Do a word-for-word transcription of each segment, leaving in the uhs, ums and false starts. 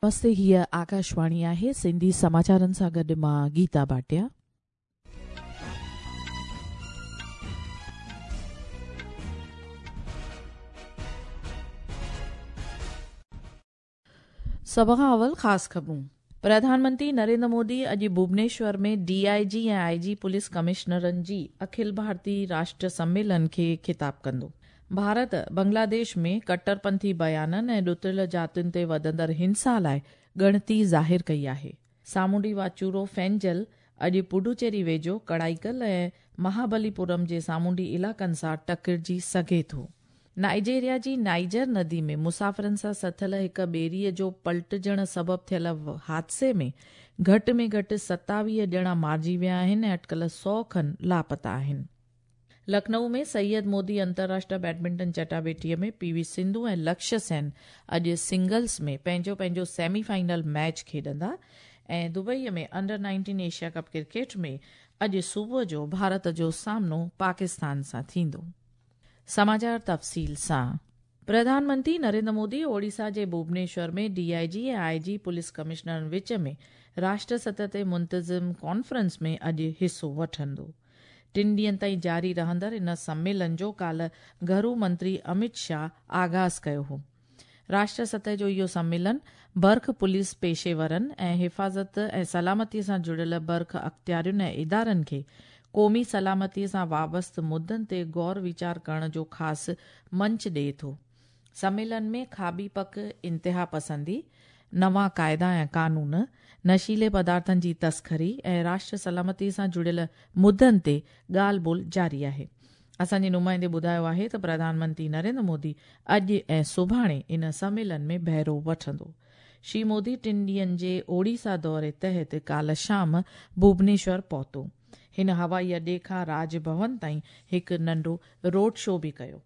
नमस्ते, हीअ आकाशवाणी आहे। सिंधी समाचारनि सां गॾु मां गीता भाटिया। सभ खां अवल ख़ासि ख़बरूं। प्रधानमंत्री नरेंद्र मोदी अॼु भुवनेश्वर में डीआईजी ऐं आईजी पुलिस कमिश्नरनि जी अखिल भारतीय राष्ट्र सम्मेलन खे ख़िताब कंदो। भारत बांग्लादेश में कट्टरपंथी बयाननि ऐं ॾुतरियल जातियुनि ते वधंदड़ हिंसा लाइ ॻणती ज़ाहिर कई आहे। सामुंडी वाचूरो फेंजल अॼु पुडुचेरी वेझो कड़ाईकल ऐं महाबलीपुरम जे सामुंडी इलाइक़नि सां टकिरिजी सघे थो। नाइजेरिया जी नाइजर नदी में मुसाफ़िरनि सां सथियल हिकु ॿेड़ीअ जो पलटिजण सबबु थियल हादसे में घटि में घटि सतावीह ॼणा मारिजी विया आहिनि ऐं अटकल सौ खनि लापता आहिनि। लखनऊ में सैयद मोदी अंतर्राष्ट्रीय बैडमिंटन चटाबेटीअ में पीवी सिंधु ऐं लक्ष्य सेन अॼु सिंगल्स में पंहिंजो पंहिंजो सेमीफाइनल मैच खेॾंदा ऐं दुबईअ में under nineteen Asia cup cricket में अॼु सुबुह जो भारत जो सामनो पाकिस्तान सां थींदो। समाचार तफ़सील सां। प्रधानमंत्री नरेंद्र मोदी ओडिशा जे भुवनेश्वर में डीआईजी ऐं आईजी पुलिस कमिश्नरनि विच में राष्ट्र सतह ते मुंतज़िम कॉन्फ्रेंस में अॼु हिसो वठंदो। टिनि ॾींहनि ताईं जारी रहंदड़ इन सम्मेलन जो काल्ह घरू मंत्री अमित शाह आगाज़ कयो हो। राष्ट्र सतह जो इहो सम्मेलन बर्ख पुलिस पेशेवरनि ऐं हिफ़ाज़त ऐं सलामतीअ सां जुड़ियल बर्ख अख़्तियारियुनि ऐं इदारनि खे क़ौमी सलामतीअ सां वाबस्ता मुद्दनि ते गौर वीचार करण जो ख़ासि मंच ॾिए थो। सम्मेलन में खाबी पक इंतिहा पसंदी, नवां काइदा ऐं कानून, नशीले पदार्थनि जी तस्करी ऐं राष्ट्र सलामतीअ सां जुड़ियल मुद्दनि ते ॻाल्हि ॿोल जारी आहे। असांजे नुमाइंदे ॿुधायो आहे त प्रधानमंत्री नरेंद्र मोदी अॼु ऐं सुभाणे इन सम्मेलन में बहिरो वठंदो। श्री मोदी टिनि ॾींहनि जे ओडिशा दौरे तहत काल्ह शाम भुवनेश्वर पहुतो। हिन हवाई अॾे खां राजभवन ताईं हिकु नंढो रोड शो बि कयो।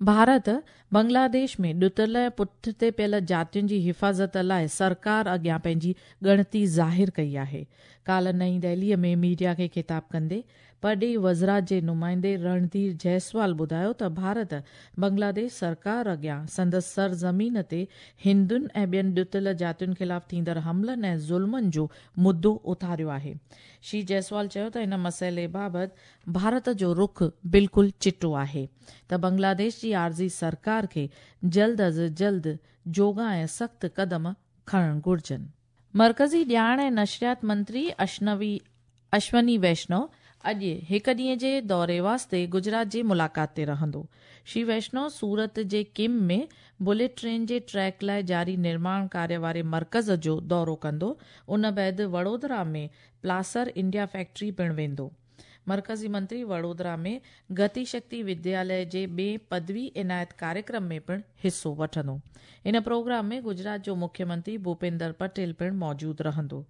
भारत बांग्लादेश में ॾुतरियल ऐं पुठिते पियल जातियुनि जी हिफ़ाज़त लाइ सरकार अॻियां पंहिंजी ॻणती ज़ाहिर कई आहे। काल्ह नई दिल्लीअ में मीडिया खे ख़िताब कंदे परॾेही वज़ारत जे नुमाइंदे रणधीर जायसवाल ॿुधायो त भारत बांग्लादेश सरकार अॻियां संदसि सरज़मीन ते हिंदुनि ऐं ॿियनि ॾुतरियल जातियुनि ख़िलाफ़ थींदड़ हमलनि ऐं ज़ुल्मनि जो मुद्दो उथारियो आहे। श्री जायसवाल चयो त इन मसइले बाबति भारत जो रुख बिल्कुलु चिटो आहे त बांग्लादेश जी आर्ज़ी सरकार खे जल्द अज़ जल्द जोगा ऐं सख़्तु क़दम खणणु घुर्जनि। मर्कज़ी ॼाण ऐं नशरियात मंत्री अश्नवी अश्वनी वैष्णव अॼु हिकु ॾींहं जे दौरे वास्ते गुजरात जी मुलाक़ात ते रहंदो। श्री वैष्णव सूरत जे किम में बुलेट ट्रेन जे ट्रैक लाइ जारी निर्माण कार्य वारे मर्कज़ जो दौरो कंदो। उन बाद वडोदरा में प्लासर इंडिया फैक्ट्री पिणु वेंदो। मर्कज़ी मंत्री वडोदरा में गति शक्ति विद्यालय जे ॿिए पदवी इनायत कार्यक्रम में पिणु हिसो वठंदो। इन प्रोग्राम में गुजरात जो मुख्यमंत्री भूपेंद्र पटेल पिणु मौजूदु रहंदो।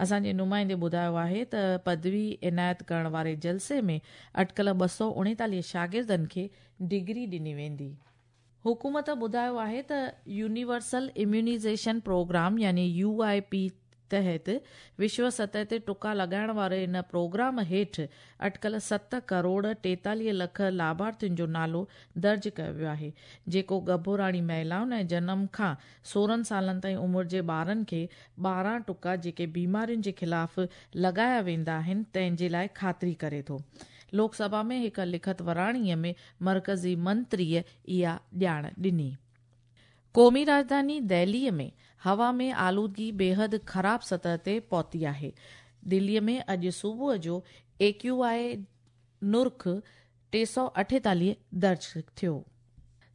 असांजे नुमाइंदे ॿुधायो आहे त पदवी इनायत करण वारे जलसे में अटकल ॿ सौ उणेतालीह शागिर्दनि खे डिग्री ॾिनी वेंदी। हुकूमत ॿुधायो आहे त यूनिवर्सल इम्यूनाइजेशन प्रोग्राम यानी you I P तहत विश्व सतह ते टुका लॻाइण वारे इन प्रोग्राम हेठि अटकल सत करोड़ टेतालीह लख लाभार्थियुनि जो नालो दर्ज कयो वियो आहे, जेको ॻभोराणी महिलाउनि ऐं जनम खां सोरहं सालनि ताईं उमिरि जे ॿारनि खे ॿारहं टुका जेके बीमारियुनि जे ख़िलाफ़ लॻाया वेंदा आहिनि तंहिंजे लाइ ख़ातिरी करे थो। लोकसभा में हिकु लिखत वराणीअ में मर्कज़ी मंत्रीअ इहा ॼाण ॾिनी। क़ौमी राजधानी दिल्लीअ में हवा में आलूदगी बेहद ख़राब सतह ते पहुती आहे। दिल्लीअ में अॼु सुबुह जो ए क्यू I नुर्ख टे सौ अठेतालीह दर्ज थियो।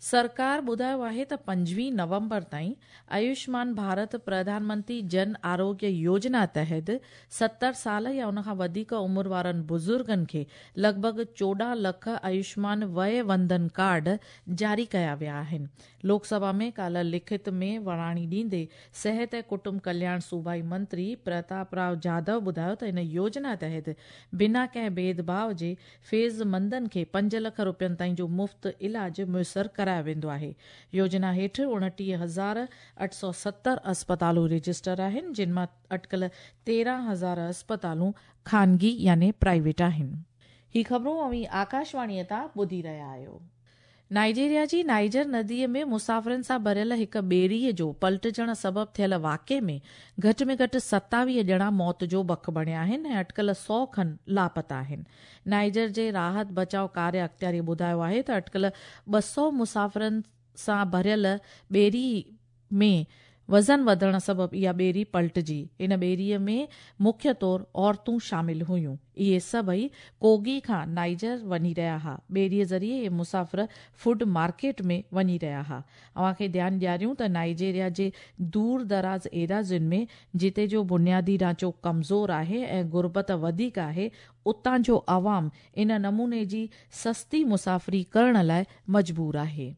सरकार ॿुधायो आहे त पंजवीह नवंबर ताईं आयुष्मान भारत प्रधानमंत्री जन आरोग्य योजना तहत सतरि साल या उन खां वधीक उमिरि वारनि बुज़ुर्गनि खे लॻभॻि चोॾहं लख आयुष्मान वय वंदन कार्ड जारी कया विया आहिनि। लोकसभा में काल्ह लिखित में वराणी ॾींदे सिहत ऐं कुटुंब कल्याण सूबाई मंत्री प्रताप राव जाधव ॿुधायो त इन योजना तहत बिना कंहिं भेदभाव जे फ़ैज़मंदनि खे पंज लख रुपयनि ताईं जो मुफ़्त इलाज मुयसर करायो वेंदो आहे। योजना हेठि उणटीह हज़ार अठ सौ सतरि अस्पतालूं रजिस्टर आहिनि, जिन मां अटकल तेरहं हज़ार अस्पतालूं ख़ानगी यानी प्राइवेट आहिनि। ही ख़बरूं अव्हीं आकाशवाणीअ तां ॿुधी रहिया आहियो। नाइजीरिया जी नाइजर नदीअ में मुसाफ़िरनि सां भरियल हिकु ॿेड़ीअ जो पलटिजण सबबु थियल वाक़िए में घटि में घटि सतावीह ॼणा मौत जो बक बणिया आहिनि ऐं अटकल सौ खनि लापता आहिनि। नाइजर जे राहत बचाव कार्य अख़्तियारी ॿुधायो आहे त अटकल ॿ सौ मुसाफ़िरनि सां भरियल ॿेड़ी में वज़न वधण सबबु इहा ॿेड़ी पलटिजी। इन ॿेड़ीअ में मुख्य तौर औरतूं शामिल हुयूं। इहे सभई कोगी खां नाइजर वञी रहिया हुआ। ॿेड़ीअ ज़रिए इहे मुसाफ़िर फूड मार्केट में वञी रहिया हुआ। अव्हां खे ध्यानु ॾियारियूं त नाइजीरिया जे दूर दराज़ एराज़ियुनि में जिते जो बुनियादी ढांचो कमज़ोर आहे ऐं गुरबत वधीक आहे, उतां जो अवाम इन नमूने जी सस्ती मुसाफ़िरी करण लाइ मजबूर आहे।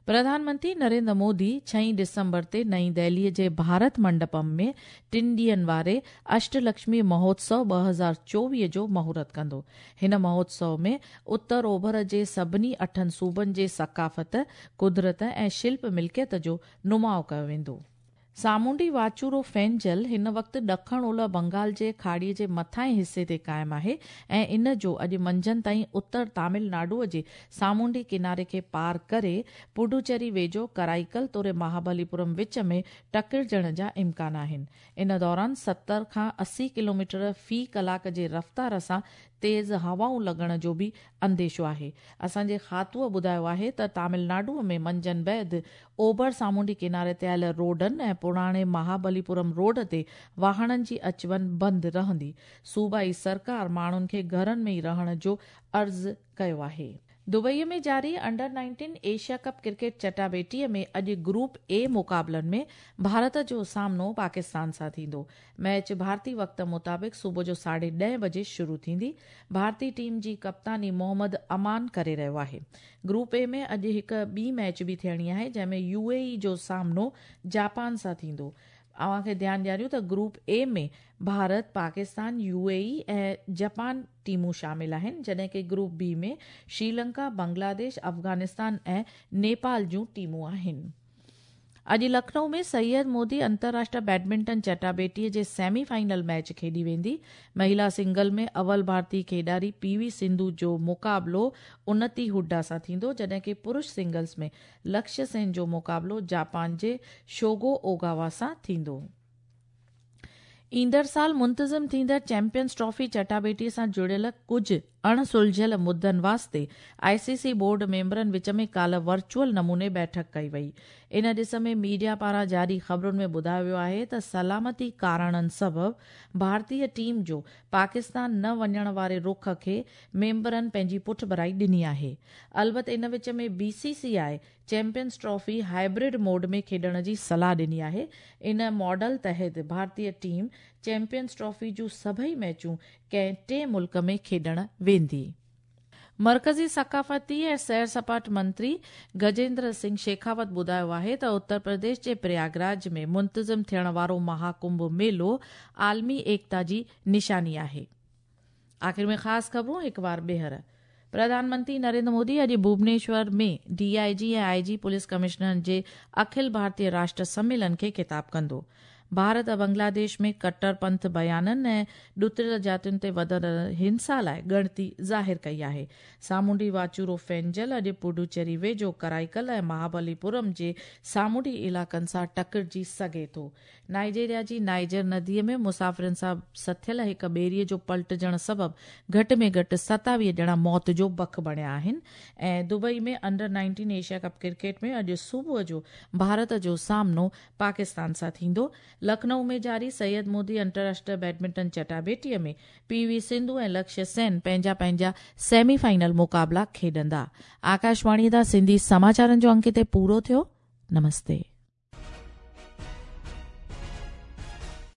प्रधानमंत्री नरेंद्र मोदी छह दिसंबर ते नई दिल्लीअ जे भारत मंडपम में टिनि ॾींहनि वारे अष्टलक्ष्मी महोत्सव ॿ हज़ार चोवीह जो मुहूर्त कंदो। हिन महोत्सव में उत्तर ओभर जे सभिनी अठनि सूबनि जे सकाफ़त, कुदरत ऐं शिल्प मिल्कियत जो नुमाउ कयो वेंदो। सामुंडी वाचूरो फेंजल हिन वक़्तु ॾखण ओलह बंगाल जे खाड़ीअ जे मथाएं हिसे ते क़ाइमु आहे ऐं इन जो अॼु मंझंदि ताईं उत्तर तमिलनाडूअ जे सामुंडी किनारे खे पार करे पुडुचेरी वेझो कराईकल तोड़े महाबलीपुरम विच में टकिरजण जा इम्कान आहिनि। इन दौरान सत्तर खां अस्सी किलोमीटर फ़ी कलाक जे रफ़्तार सां तेज़ हवाऊं लॻण जो बि अंदेशो आहे। असांजे खातूअ ॿुधायो आहे त तमिलनाडूअ में मंझंदि बैद ओभर सामुंडी किनारे ते आयल रोडनि ऐं पुराणे महाबलीपुरम रोड ते वाहणनि जी अच वञ बंदि रहंदी। सूबाई सरकार माण्हुनि खे घरनि में ई रहण जो अर्ज़ु कयो आहे। दुबईअ में जारी under nineteen Asia cup cricket चटाबेटीअ में अॼु ग्रुप ए मुक़ाबलनि में भारत जो सामनो पाकिस्तान सां थींदो। मैच भारतीय वक़्त मुताबिक़ सुबुह जो साढे ॾह बजे शुरू थींदी। भारतीय टीम जी कप्तानी मोहम्मद अमान करे रहियो आहे। ग्रुप ए में अॼु हिकु ॿी मैच बि थियणी आहे, जंहिंमें यू ए ई जो सामनो जापान सां थींदो। अव्हां खे ध्यानु ॾियारियूं त group A में भारत, पाकिस्तान, यू ए ई ऐं जापान टीमूं शामिल आहिनि, जॾहिं की ग्रुप बी में श्रीलंका, बांग्लादेश, अफ़गानिस्तान ऐं नेपाल जूं टीमूं आहिनि। अॼु लखनऊ में सैयद मोदी अंतर्राष्ट्रीय बैडमिंटन चटाबेटीअ जे सेमीफाइनल मैच खेॾी वेंदी। महिला सिंगल में अव्वल भारतीय खेॾारी पी वी सिंधु जो मुक़ाबिलो उन्नति हुड्डा सां थींदो, जॾहिं की पुरुष सिंगल्स में लक्ष्य सेन जो मुक़ाबिलो जापान जे शोगो ओगावा सां थींदो। ईंदड़ साल मुंतज़िम थींदड़ चैंपियंस ट्रॉफी चटाबेटीअ सां जुड़ियल कुझु अण सुलझियल मुद्दनि वास्ते आई सी सी बोर्ड मेंबरनि विच में काल्ह वर्चुअल नमूने बैठक कई वई। इन ॾिस में मीडिया पारां जारी ख़बरुनि में ॿुधायो वियो आहे त सलामती कारणनि सबबु भारतीय टीम जो पाकिस्तान न वञण वारे रुख खे मेंबरनि पंहिंजी पुठभराई ॾिनी आहे। अलबत इन विच में B C C I champions trophy hybrid mode में खेॾण जी सलाह ॾिनी आहे। इन मॉडल तहत भारतीय टीम चैंपियंस ट्रॉफी जूं सभई मैचूं कंहिं टे मुल्क में खेॾण वेंदी। मर्कज़ी सकाफ़ती ऐं सैर सपाट मंत्री गजेंद्र सिंह शेखावत ॿुधायो आहे त उत्तर प्रदेश जे प्रयागराज में मुंतज़िम थियण वारो महाकुंभ मेलो आलमी एकता जी निशानी आहे। आख़िर में ख़ासि ख़बरूं हिकु बार ॿीहर। प्रधानमंत्री नरेंद्र मोदी अॼु भुवनेश्वर में डी I जी ऐं आई जी पुलिस कमिश्नरनि जे अखिल भारतीय राष्ट्र सम्मेलन खे ख़िताब कंदो। भारत बांग्लादेश में कट्टरपंथ बयाननि ऐं ॾुतरियल जातियुनि ते वधंदड़ हिंसा लाइ ॻणती ज़ाहिर कई आहे। सामुंडी वाचूरो फेंजल अॼु पुडुचेरी वेझो कराईकल ऐं महाबलीपुरम जे सामुंडी इलाइक़नि सां टकरिजी सघे थो। नाइजीरिया जी नाइजर नदीअ में मुसाफ़िरनि सां सथियल हिकु ॿेड़ीअ जो पलटिजण सबबु घटि में घटि सतावीह ॼणा मौत जो बक बणिया आहिनि। ऐं दुबई में under nineteen Asia cup cricket में अॼु सुबुह जो भारत जो सामनो पाकिस्तान सां थींदो। लखनऊ में जारी सैयद मोदी अंतर्राष्ट्रीय बैडमिंटन चटाबेटीअ में पी वी सिंधु ऐं लक्ष्य सेन पंहिंजा पंहिंजा सेमीफाइनल मुक़ाबला खेॾंदा। आकाशवाणी तां सिंधी समाचारनि जो अंक हिते पूरो थियो। नमस्ते।